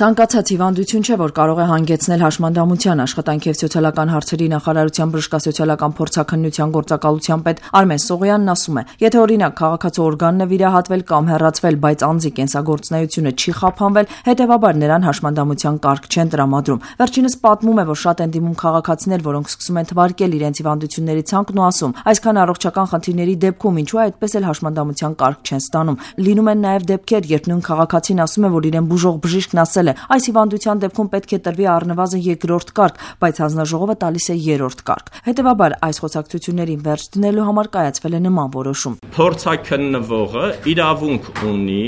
Ցանկացած հիվանդություն չէ, որ կարող է հանգեցնել հաշմանդամության։ Աշխատանքի և սոցիալական հարցերի նախարարության բժշկասոցիալական փորձաքննության գործակալության պետ Արմեն Սողոյանն ասում է, եթե օրինակ քաղաքացու օրգանն է վիրահատվել կամ հեռացվել, բայց անձի կենսագործունեությունը չի խափանվել, հետևաբար նրան հաշմանդամության կարգ չեն տրամադրում։ Վերջինս պատմում է, որ շատ են դիմում քաղաքացիներ, որոնք սկսում են թվարկել իրենց հիվանդությունների ցանկն ու ասում, այսքան առողջական խնդիրների դեպքում ինչու է այդպես էլ հաշմանդամության կարգ չեն ստանում։ Լինում են նաև դեպքեր, երբ նույն քաղաքացին ասում է, որ իրեն բուժող բժիշկն ասել է, այս հիվանդության դեպքում պետք է տրվի առնվազն երկրորդ կարգ, բայց հանձնաժողովը տալիս է երրորդ կարգ։ Հետևաբար այս խոսակցություններին վերջ դնելու համար կայացվել է նման որոշում։ Փորձաքննվողը իրավունք ունի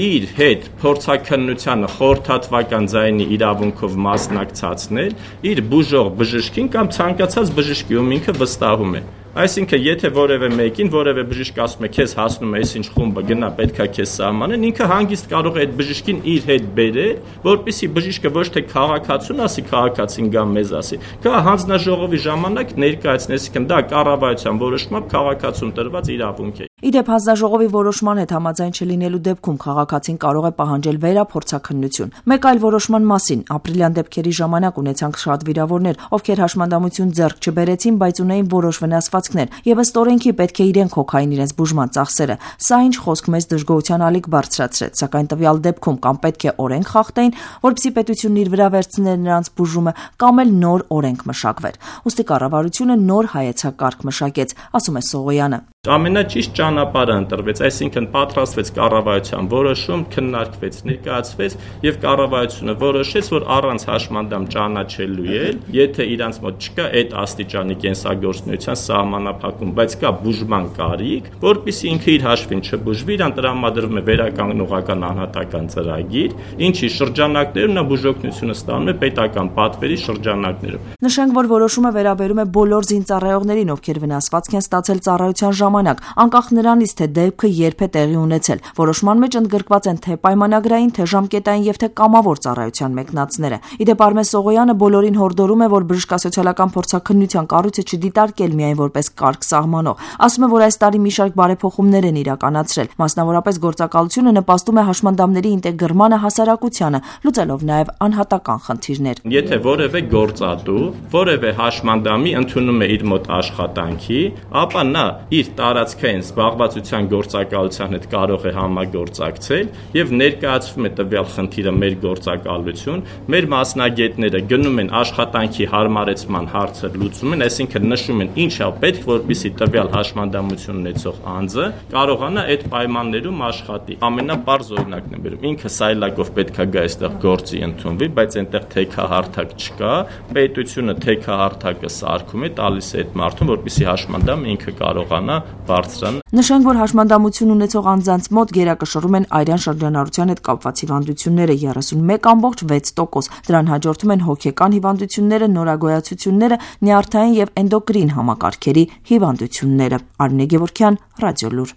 իր հետ փորձաքննությանը խորհրդատվական ձայնի իրավունքով մասնակցացնել իր բուժող բժշկին կամ ցանկացած բժշկի, ում ինքը վստահում է։ Այսինքն, եթե որևէ մեկին, որևէ բժիշկ ասում է, քեզ հասնում է այսինչ խումբը, գնա, պետքա քեզ սահմանեն, ինքը հանգիստ կարող է այդ բժիշկին իր հետ բերել, որպեսզի բժիշկը ոչ թե քաղաքացուն ասի, քաղաքացին գա մեզ ասի, կա հանձնաժողովի ժամանակ ներկայացնի, այսինքն դա կառավարության որոշմամբ քաղաքացուն տրված իրավունք է։ Իդեպ հանձնաժողովի որոշման հետ համաձայն չլինելու դեպքում քաղաքացին կարող է պահանջել վերափորձաքննություն։ Մեկ այլ որոշման մասին ապրիլյան դեպքերի ժամանակ ունեցանք շատ վիրավորներ, ովքեր հաշմանդամություն ձեռք չբերեցին, բայց ունեին որոշ վնասվածքներ, եւ ըստ օրենքի պետք է իրենք հոգային իրենց բուժման ծախսերը։ Սա ինչ խոսք մեծ դժգոհության ալիք բարձրացրեց, սակայն տվյալ դեպքում կամ պետք է օրենք խախտեին, որպեսզի պետությունն իր վրա վերցներ նրանց բուժումը, կամ էլ նոր օրենք մշակվեր։ Ուստի կառավարությունը նոր հայեցակարգ մշակեց, ասում է Սողոյանը։ Ամենաճիշտ ճանապարհը ընտրվեց, այսինքն պատրաստվեց կառավարության որոշում, քննարկվեց, ներկայացվեց եւ կառավարությունը որոշեց, որ առանց հաշմանդամ ճանաչելու է, եթե իրանց մոտ չկա այդ աստիճանի կենսագործունեության սահմանափակում, բայց կա բուժման կարիք, որpիսի ինքը իր հաշվին չբուժվի, իրան տրամադրվում է վերականգնողական անհատական ծրագիր, ինչի շրջանակներում նա բուժօգնությունը ստանում է պետական պատվերի շրջանակներում։ Նշենք, որ որոշումը վերաբերում է բոլոր զինծառայողներին, ովքեր վնասվածք են ստացել ծառայության ժամանակ, անկախ նրանից, թե դեպքը երբ է տեղի ունեցել։ Որոշման մեջ ընդգրկված են թե պայմանագրային, թե ժամկետային եւ թե կամավոր ծառայության մեկնածները։ Իդեպ Արմեն Սողոյանը բոլորին հորդորում է, որ բժշկասոցիալական փորձաքննության կառույցը չդիտարկել միայն որպես կարգ սահմանող։ Ասում է, որ այս տարի մի շարք բարեփոխումներ են իրականացրել։ Մասնավորապես գործակալությունը նպաստում է հաշմանդամների ինտեգրմանը հասարակությանը, լուծելով նաեւ անհատական խնդիրներ։ Եթե որևէ գործատու, որևէ հաշմանդամի ընդունում է իր մոտ աշխատանքի, ապա նա իր տարածքային զբաղվածության գործակալության հետ կարող է համագործակցել եւ ներկայացվում է տվյալ խնդիրը մեր գործակալություն, մեր մասնագետները գնում են աշխատանքի հարմարեցման հարցը լուծում են, այսինքն նշում են ինչա պետք, որպեսզի տվյալ հաշմանդամություն ունեցող անձը կարողանա այդ պայմաններում աշխատի։ Ամենապարզ օրինակն է բերում, ինքը սայլակով պետքա գա այստեղ գործի ընդունվի, բայց այնտեղ թեքահարթակ չկա, պետությունը թեքահարթակը սարքում է, տալիս է այդ մարդուն, որպեսզի հաշմանդամը ինքը կարողանա բարձրանալ։ Նշենք, որ հաշմանդամություն ունեցող անձանց մոտ գերակշռում են արյան շրջանառության հետ կապված հիվանդությունները 31.6%։ Դրան հաջորդում են հոգեկան հիվանդությունները, նորագոյացությունները, նյարդային եւ էնդոկրին համակարգերի հիվանդությունները։ Արմինե Գևորգյան, Ռադիոլուր։